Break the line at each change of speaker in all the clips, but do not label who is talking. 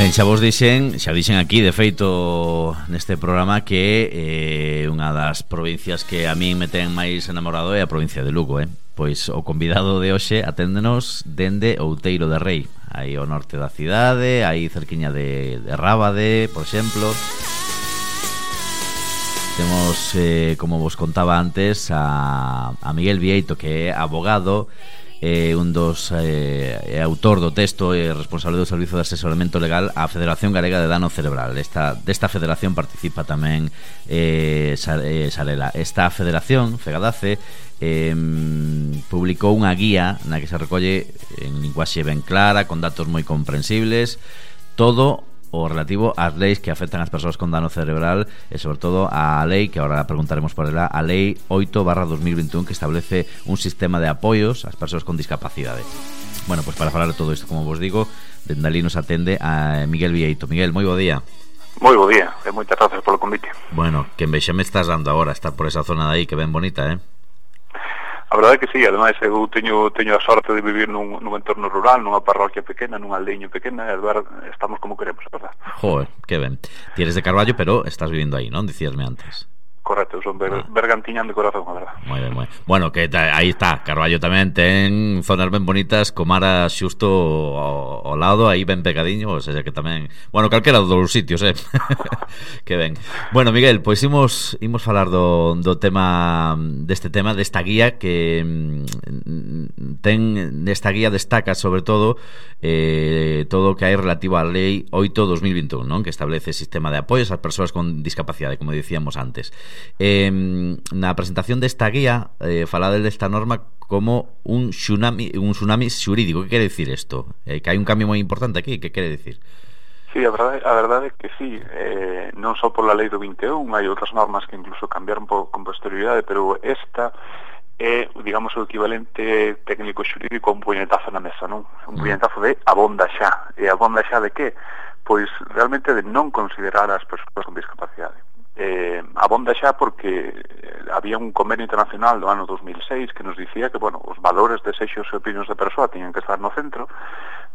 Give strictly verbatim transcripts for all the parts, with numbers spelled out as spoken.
Ben, xa vos dixen, xa dixen aquí, de feito, neste programa, que eh, unha das provincias que a min me ten máis enamorado é a provincia de Lugo, eh? Pois o convidado de hoxe aténdenos dende Outeiro de Rei, aí ao norte da cidade, aí cerquiña de, de Rábade, por exemplo. Temos, eh, como vos contaba antes, a, a Miguel Vieito, que é abogado, eh, un dos eh, é autor do texto e responsable do Servizo de Asesoramento Legal á Federación Galega de Dano Cerebral. Esta, desta federación participa tamén eh, Sarela. Esta federación, Fegadace, eh, publicou unha guía na que se recolle en linguaxe ben clara, con datos moi comprensibles, todo o relativo ás leis que afectan as persoas con dano cerebral e sobre todo a lei, que agora preguntaremos por ela, a lei oito barra dos mil veintiún, que establece un sistema de apoios ás persoas con discapacidade. Bueno, pois pues para falar de todo isto, como vos digo, dende ali nos atende a Miguel Vieito. Miguel, moi bo día.
Moi bo día, e moitas grazas polo convite.
Bueno, que envexa me estás dando agora estar por esa zona de aí, que ben bonita, eh?
A verdade é que sí, ademais eu teño, teño a sorte de vivir nun, nun entorno rural, nunha parroquia pequena, nunha aldeiño pequena, e ver, estamos como queremos, a verdade.
Joder, que ben. Ti eres de Carballo, pero estás vivindo aí, non? Dicíasme antes.
Correcto, son ber, ah. bergantiñán de corazón, a verdade.
Moi ben, moi ben. Bueno, que ta, aí está, Carballo tamén ten zonas ben bonitas, co mar xusto ao, ao lado, aí ben pegadiño, ou seja que tamén, bueno, calquera dos dous sitios, eh. Que ben. Bueno, Miguel, pois imos imos falar do do tema deste tema, desta guía que mm, ten nesta guía destaca sobre todo eh todo o que hai relativo á lei oito barra dos mil veintiún, non? Que establece sistema de apoios ás persoas con discapacidade, como dicíamos antes. Eh, na presentación desta guía eh, falade desta norma como un tsunami, un tsunami xurídico. Que quere dicir isto? Eh, que hai un cambio moi importante aquí, que quere dicir?
Sí, a verdade, a verdade é que sí, eh, non só pola lei do vinte e un, hai outras normas que incluso cambiaron por, con posterioridade, pero esta é, digamos, o equivalente técnico xurídico a un puñetazo na mesa, non? Un puñetazo de abonda xa. E abonda xa de que? Pois realmente de non considerar as persoas con discapacidade. Eh, abonda xa porque había un convenio internacional do ano dos mil seis que nos dicía que, bueno, os valores, desexos e opinións da persoa tiñan que estar no centro,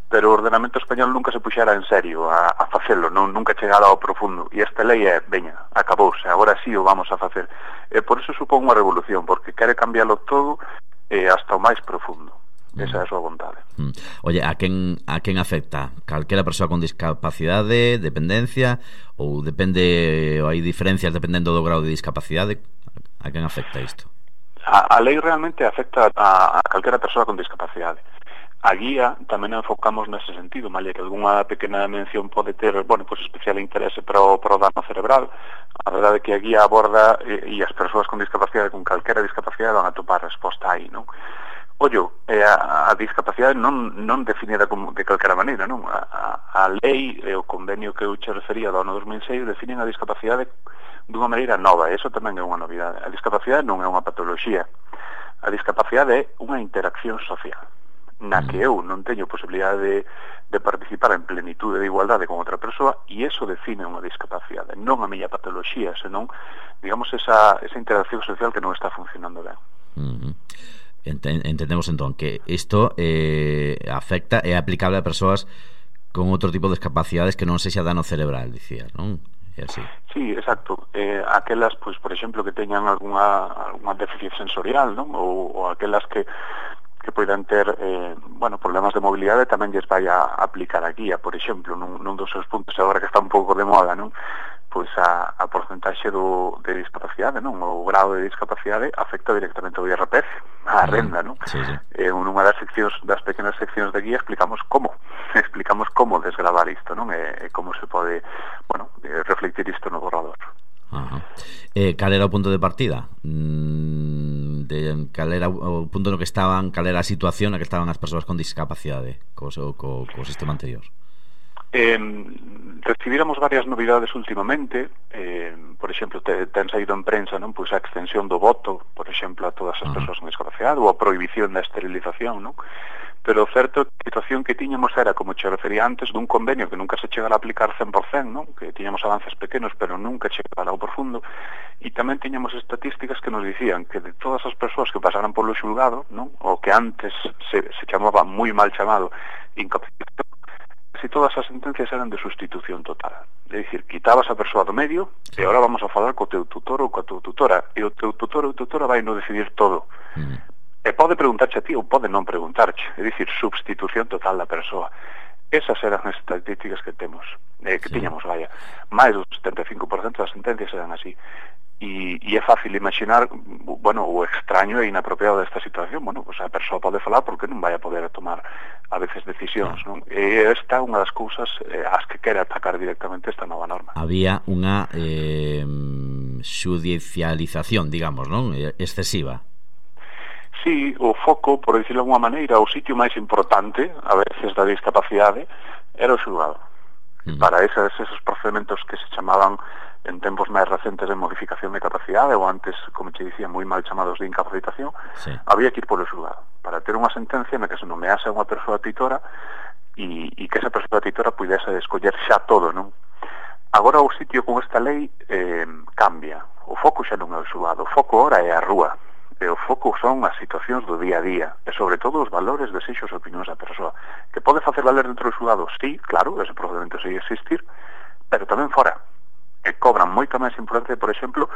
pero o ordenamento español nunca se puxera en serio a, a facelo, non, nunca chegara ao profundo, e esta lei é, veña, acabouse, agora sí o vamos a facer. E por eso supón unha revolución, porque quere cambiarlo todo eh, hasta o máis profundo. Esa é a súa vontade.
Mm. Oye, a quen a quen afecta? Calquera persoa con discapacidade, dependencia, ou depende, ou hai diferencias dependendo do grau de discapacidade? A quen afecta isto?
A, a lei realmente afecta a, a calquera persoa con discapacidade. A guía tamén enfocamos nese sentido, malia que algunha pequena mención pode ter, bueno, pues especial interese para o, para o dano cerebral. A verdade é que a guía aborda e, e as persoas con discapacidade, con calquera discapacidade, van a topar resposta aí, non? Ollo, eh, a, a discapacidade non, non definida como de calquera maneira, non? A, a, a lei e o convenio que eu che refería do ano dos mil seis definen a discapacidade dunha maneira nova, e iso tamén é unha novidade. A discapacidade non é unha patoloxía. A discapacidade é unha interacción social, na que eu non teño posibilidade de, de participar en plenitude de igualdade con outra persoa, e iso define unha discapacidade, non a miña patoloxía, senón, digamos, esa, esa interacción social que non está funcionando ben.
Uh-huh. Entendemos entón que isto eh, afecta e é aplicable a persoas con outro tipo de discapacidades que non sexa dano cerebral, dicías, non? É así.
Sí, exacto. Eh, aquelas, pois, por exemplo, que teñan algunha, algunha déficit sensorial, non? Ou, ou aquelas que que poidan ter, eh, bueno, problemas de mobilidade, tamén lles vai a aplicar a guía, por exemplo, nun, nun dos seus puntos agora que está un pouco de moda, non? Pois a, a porcentaxe do, de discapacidade, non? O grado de discapacidade afecta directamente ao I R P F, a renda, non?
Sí, sí.
Eh, nunha das seccións, das pequenas seccións de guía explicamos como, explicamos como desgravar isto, non? E, e como se pode, bueno, reflectir isto no borrador.
Ajá. Eh, cal era o punto de partida? Mm, de, cal era o punto no que estaban, cal era a situación na que estaban as persoas con discapacidade co, co, co sistema anterior?
Eh, recibíramos varias novidades últimamente, eh, por exemplo, te, ten saído en prensa, non? Pois a extensión do voto, por exemplo, a todas as uh-huh. persoas con discapacidade, ou a prohibición da esterilización, non? Pero o certo, a situación que tiñamos era, como che refería antes, dun convenio que nunca se chegara a aplicar cen por cento, non? Que tiñamos avances pequenos, pero nunca chegara ao profundo, e tamén tiñamos estatísticas que nos dicían que de todas as persoas que pasaran polo xulgado, non? O que antes se, se chamaba moi mal chamado incapacidade, casi todas as sentencias eran de sustitución total. É dicir, quitabas a persoa do medio e agora vamos a falar co teu tutor ou coa tua tutora, e o teu tutor ou tutora vai no decidir todo. Mm. E pode preguntarche a ti ou pode non preguntarche, é dicir, substitución total da persoa. Esas eran as estatísticas que temos, eh, que sí. tiñamos, vaya. Mais do setenta e cinco por cento das sentencias eran así. E, e é fácil imaginar, bueno, o extraño e inapropiado desta situación. Bueno, pues a persoa pode falar porque non vai a poder tomar a veces decisións, non? E esta é unha das cousas eh, as que quere atacar directamente esta nova norma.
Había unha eh, xudicialización, digamos, non? Excesiva.
Sí, o foco, por dicirlo de alguma maneira, o sitio máis importante, a veces, da discapacidade, era o xulgado. Mm. Para esos, esos procedementos que se chamaban en tempos máis recentes de modificación de capacidade, ou antes, como te dicía, moi mal chamados de incapacitación, sí. había que ir polo xulgado, para ter unha sentencia na que se nomease unha persoa titora e, e que esa persoa titora pudese escoller xa todo, non? Agora o sitio con esta lei eh, cambia. O foco xa non é o xulgado, o foco ora é a rúa. E o foco son as situacións do día a día e sobre todo os valores, desexos e opinións da persoa, que pode facer valer dentro do xulgado, sí, claro, ese procedimento segue existir, pero tamén fora, e cobran moita máis importancia, por exemplo,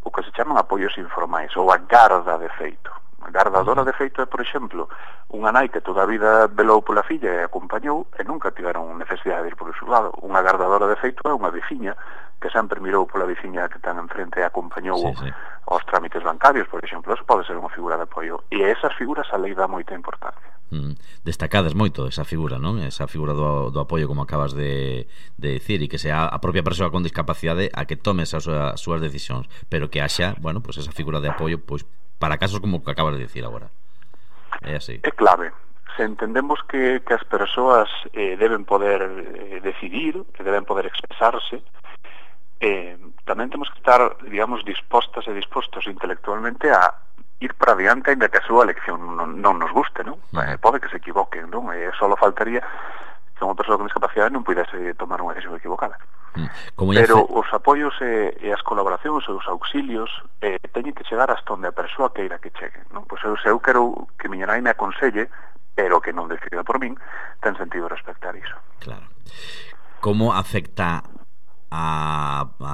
o que se chaman apoios informais ou a garda de feito. A gardadora de feito é, por exemplo, unha nai que toda a vida velou pola filla e acompañou e nunca tiveron necesidade de ir polo xulgado. Unha gardadora de feito é unha veciña que sempre mirou pola veciña que ten enfrente e acompañou sí, sí. aos trámites bancarios, por exemplo. Eso pode ser unha figura de apoio. E a esas figuras a lei dá moita importancia.
Mm, destacadas moito esa figura, non? Esa figura do, do apoio, como acabas de, de decir, e que sea a propia persoa con discapacidade a que tome esas as súas decisións, pero que haxa, bueno, pues esa figura de apoio, pois, para casos como o que acabas de decir agora. É así.
É clave. Se entendemos que, que as persoas eh, deben poder eh, decidir, que deben poder expresarse, eh, tamén temos que estar, digamos, dispostas e dispostos intelectualmente a ir para adiante, ainda que a súa elección non, non nos guste, non? Uh -huh. eh, pode que se equivoquen, non? E só faltaría que unha persoa con discapacidade non pudese tomar unha decisión equivocada. Como pero fe... os apoios e, e as colaboracións e os auxilios eh, teñen que chegar hasta onde a persoa queira que chegue, non? Pois eu, se eu quero que miña nai me aconselle, pero que non decida por min, ten sentido respectar iso.
Claro. Como afecta a, a,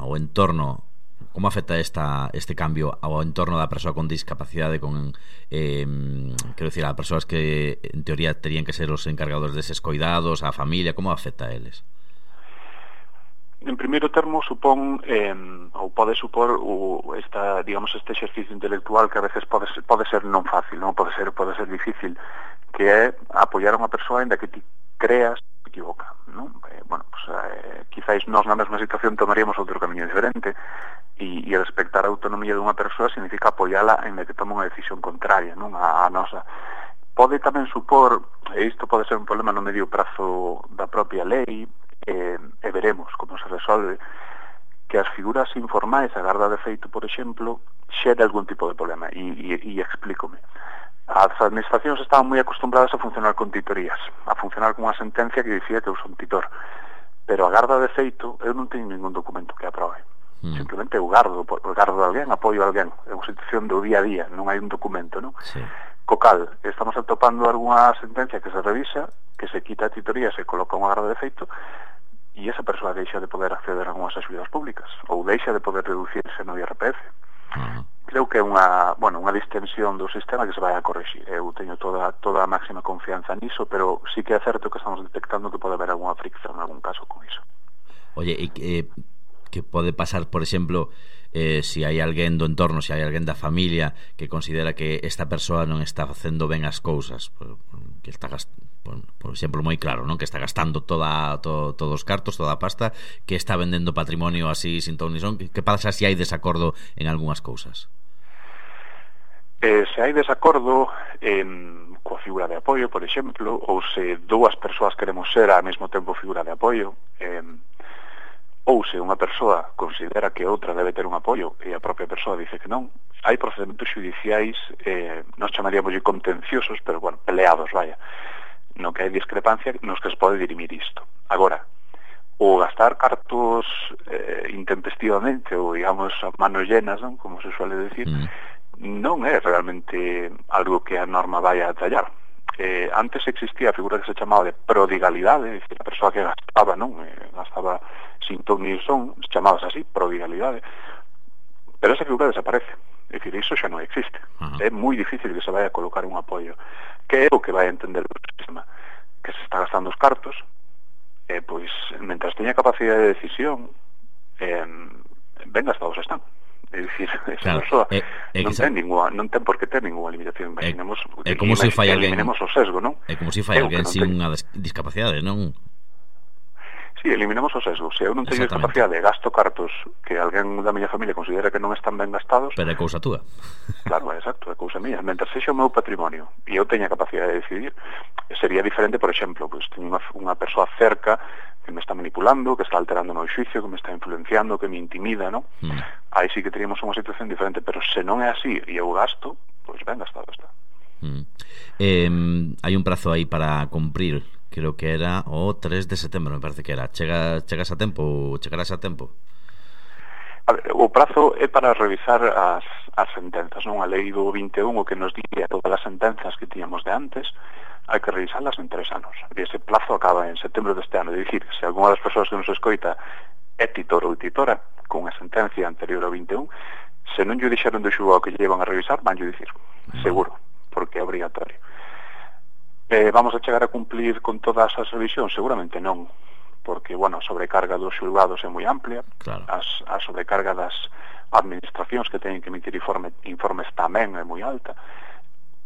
o entorno, como afecta esta, este cambio ao entorno da persoa con discapacidade, con eh, quero dicir, a persoas que en teoría terían que ser os encargados deses coidados, a familia, como afecta a eles?
En primeiro termo, supón eh, ou pode supor o, esta, digamos, este exercicio intelectual que a veces pode ser, pode ser non fácil, non pode ser pode ser difícil, que é apoiar a unha persoa ainda que ti creas que equivoca, non? Eh, bueno, pues, eh, quizáis nós na mesma situación tomaríamos outro camiño diferente e, e respectar a autonomía dunha persoa significa apoiala ainda que tome unha decisión contraria, non? A, a nosa. Pode tamén supor, e isto pode ser un problema no medio prazo da propia lei, E, e veremos como se resolve, que as figuras informais, a garda de feito, por exemplo, xere algún tipo de problema e, e, e explícome. As administracións estaban moi acostumbradas a funcionar con titorías, a funcionar con unha sentencia que dicía que eu son titor, pero a garda de feito eu non teño ningún documento que aprobe. Mm. Simplemente eu gardo, eu gardo a alguén, apoio a alguén, é unha situación do día a día, non hai un documento, non? Sí. Co cal, estamos atopando algunha sentencia que se revisa, que se quita a titoría, se coloca unha garda de feito e esa persoa deixa de poder acceder a algunhas axudas públicas ou deixa de poder reducirse no I R P F. Uh-huh. Creo que é unha, bueno, unha distensión do sistema que se vai a corrixir. Eu teño toda toda a máxima confianza niso, pero sí que é certo que estamos detectando que pode haber algunha fricción en algún caso con iso.
Oye, e eh, que pode pasar, por exemplo, eh, se hai alguén do entorno, se hai alguén da familia que considera que esta persoa non está facendo ben as cousas, que está gastando, por, por exemplo, moi claro, non? Que está gastando toda, todo, todos os cartos, toda a pasta, que está vendendo patrimonio así sin ton ni son. Que pasa se hai desacordo en algunhas cousas?
Eh, se hai desacordo en, coa figura de apoio, por exemplo, ou se dúas persoas queremos ser ao mesmo tempo figura de apoio, eh, ou se unha persoa considera que outra debe ter un apoio e a propia persoa dice que non, hai procedementos judiciais, eh, nos chamaríamos de contenciosos, pero, bueno, peleados, vaya, no que hai discrepancia nos que se pode dirimir isto. Agora, o gastar cartos eh, intempestivamente ou, digamos, a manos llenas, non? Como se suele decir, mm. non é realmente algo que a norma vai a tallar. eh, antes existía a figura que se chamaba de prodigalidade, é dicir, a persoa que gastaba, non? Eh, gastaba sin ton ni son, chamabas así, prodigalidade, pero esa figura desaparece. É dicir, iso xa non existe. Uh-huh. É moi difícil que se vai a colocar un apoio. Que é o que vai a entender o sistema? Que se está gastando os cartos, eh, pois, mentras teña capacidade de decisión, eh, ben gastados están. É dicir, esa claro, persoa é, é non, ten ninguna, non ten por que ter ninguna limitación. Imaginemos,
é, é como se fai alguén,
eliminemos o sesgo, non?
É como se fai alguén sin unha discapacidade, non?
Sí, eliminemos o sesgo. Se eu non teño discapacidade, gasto cartos que alguén da miña familia considera que non están ben gastados...
Pero é cousa túa.
Claro, exacto, é cousa mía. Mentre sexa o meu patrimonio e eu teña capacidade de decidir, sería diferente, por exemplo, pues, teño unha, unha persoa cerca que me está manipulando, que está alterando o meu xuicio, que me está influenciando, que me intimida, ¿no? Mm. Aí sí que teríamos unha situación diferente, pero se non é así e eu gasto, pois pues ben gastado está.
Mm. Eh, hai un prazo aí para cumprir. Creo que era o tres de setembro, me parece que era. Chega, chegas a tempo ou chegarás a tempo?
A ver, o prazo é para revisar as, as sentenzas, non? A lei do vinte e un, o que nos diría todas as sentenzas que tiñamos de antes, hai que revisarlas en tres anos. E ese plazo acaba en setembro deste ano. É dicir, se algunha das persoas que nos escoita é titor ou titora con a sentencia anterior ao vinte e un, se non lle dixeron do xulgado que lle iban a revisar, van lle dicir, seguro, porque é obrigatorio. Eh, vamos a chegar a cumplir con todas as revisións? Seguramente non, porque, bueno, a sobrecarga dos xulgados é moi amplia, claro. as, a sobrecarga das administracións que teñen que emitir informe, informes tamén é moi alta,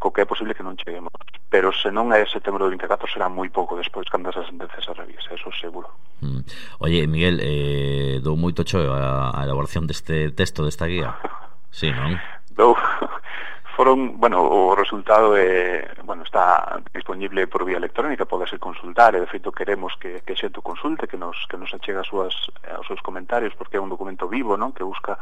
co que é posible que non cheguemos. Pero se non é setembro do vinte e catro, será moi pouco despois cando esa sentencia se revise, eso seguro.
Mm. Oye, Miguel, eh, dou moito choio a, a elaboración deste texto, desta guía. Sí, non?
Dou... Foron, bueno, o resultado é, bueno, está disponible por vía electrónica, podese consultar, e de feito queremos que, que xente consulte, que nos, que nos achegue as súas, os seus comentarios, porque é un documento vivo, non? Que busca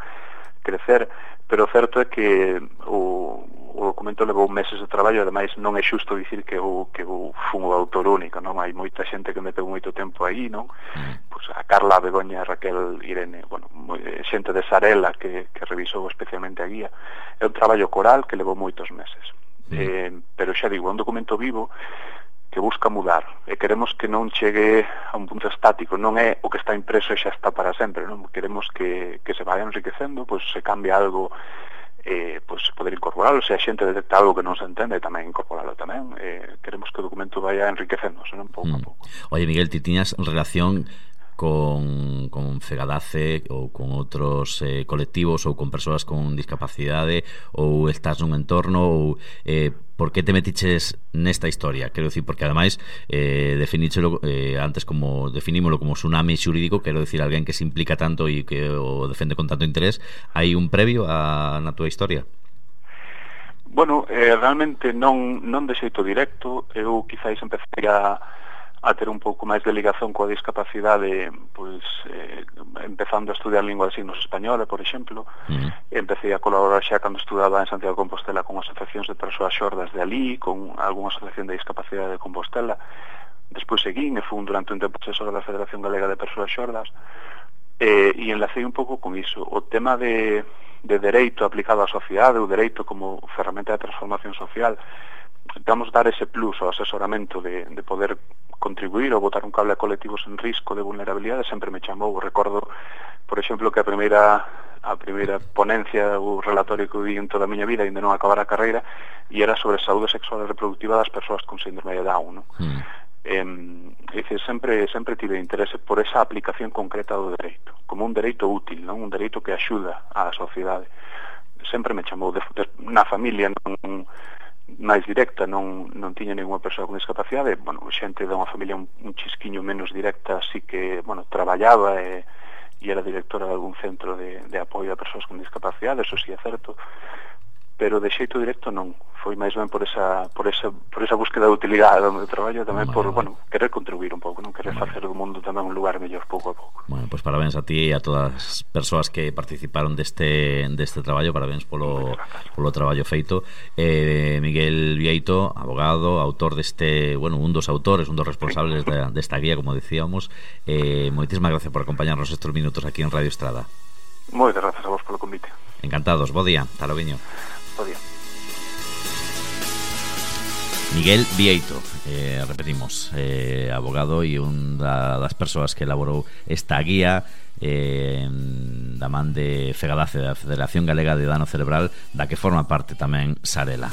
crecer, pero o certo é que o, o documento levou meses de traballo, e ademais non é xusto dicir que eu, que eu fun o autor único, non? Hai moita xente que meteu moito tempo aí, non? Mm. Pues a Carla, a Begoña, a Raquel, Irene, bueno, moi, xente de Sarela que, que revisou especialmente a guía. É un traballo coral que levou moitos meses. Mm. Eh, pero xa digo, é un documento vivo que busca mudar, e queremos que non chegue a un punto estático, non é o que está impreso e xa está para sempre, non? Queremos que, que se vaya enriquecendo, pois se cambia algo, eh, pois poder incorporarlo, se a xente detecta algo que non se entende, tamén incorporarlo tamén. Eh, queremos que o documento vaya enriquecéndose, non? Pouco mm. a pouco.
Oye, Miguel, ti tiñas relación con, con Fegadace ou con outros eh, colectivos ou con persoas con discapacidade, ou estás nun entorno, ou eh, por que te metiches nesta historia? Quero dicir, porque ademais eh, definíchelo eh, antes como definímolo como tsunami xurídico, quero dicir, alguén que se implica tanto e que o defende con tanto interés. Hai un previo a, na túa historia?
Bueno, eh, realmente non, non de xeito directo. Eu quizáis empecé a a ter un pouco máis de ligación coa discapacidade, pois eh, empezando a estudiar lingua de signos española, por exemplo. Uh-huh. Empecé a colaborar xa cando estudaba en Santiago de Compostela con asociacións de persoas xordas de alí, con algunha asociación de discapacidade de Compostela. Despois seguín e fun durante un tempo asesor da Federación Galega de Persoas Xordas, eh, e enlacei un pouco con iso. O tema de, de dereito aplicado á sociedade, o dereito como ferramenta de transformación social, vamos dar ese plus ao asesoramento de, de poder contribuir ou botar un cable a colectivos en risco de vulnerabilidade, sempre me chamou. Recordo, por exemplo, que a primeira a primeira ponencia ou relatorio que vi en toda a miña vida, ainda non acabar a carreira, e era sobre saúde sexual e reproductiva das persoas con síndrome de Down, non? Mm. Eh, dice, sempre, sempre tive interese por esa aplicación concreta do dereito, como un dereito útil, non? Un dereito que axuda á sociedade. Sempre me chamou. De, de, na familia non máis directa non, non tiña ninguna persoa con discapacidade. Bueno, xente de unha familia un, un chisquiño menos directa, así que, bueno, traballaba e, e era directora de algún centro de, de apoio a persoas con discapacidade, eso sí é certo, pero de xeito directo non. Foi máis ben por esa por esa por esa búsqueda de utilidade do meu traballo, tamén por, bueno, querer contribuir un pouco, non querer facer do mundo tamén un lugar mellor pouco a pouco.
Bueno, pois pues parabéns a ti e a todas as persoas que participaron deste deste traballo, parabéns polo polo traballo feito. Eh, Miguel Vieito, abogado, autor deste, bueno, un dos autores, un dos responsables de, desta guía, como decíamos. Eh, moitísimas gracias por acompañarnos estes minutos aquí en Radio Estrada.
Moitas gracias a vos polo convite.
Encantados, bo día, talo viño.
Bo día.
Miguel Vieito, eh, repetimos, eh, abogado e un da, das persoas que elaborou esta guía eh, da man de FEGADACE, da Federación Galega de Dano Cerebral, da que forma parte tamén Sarela.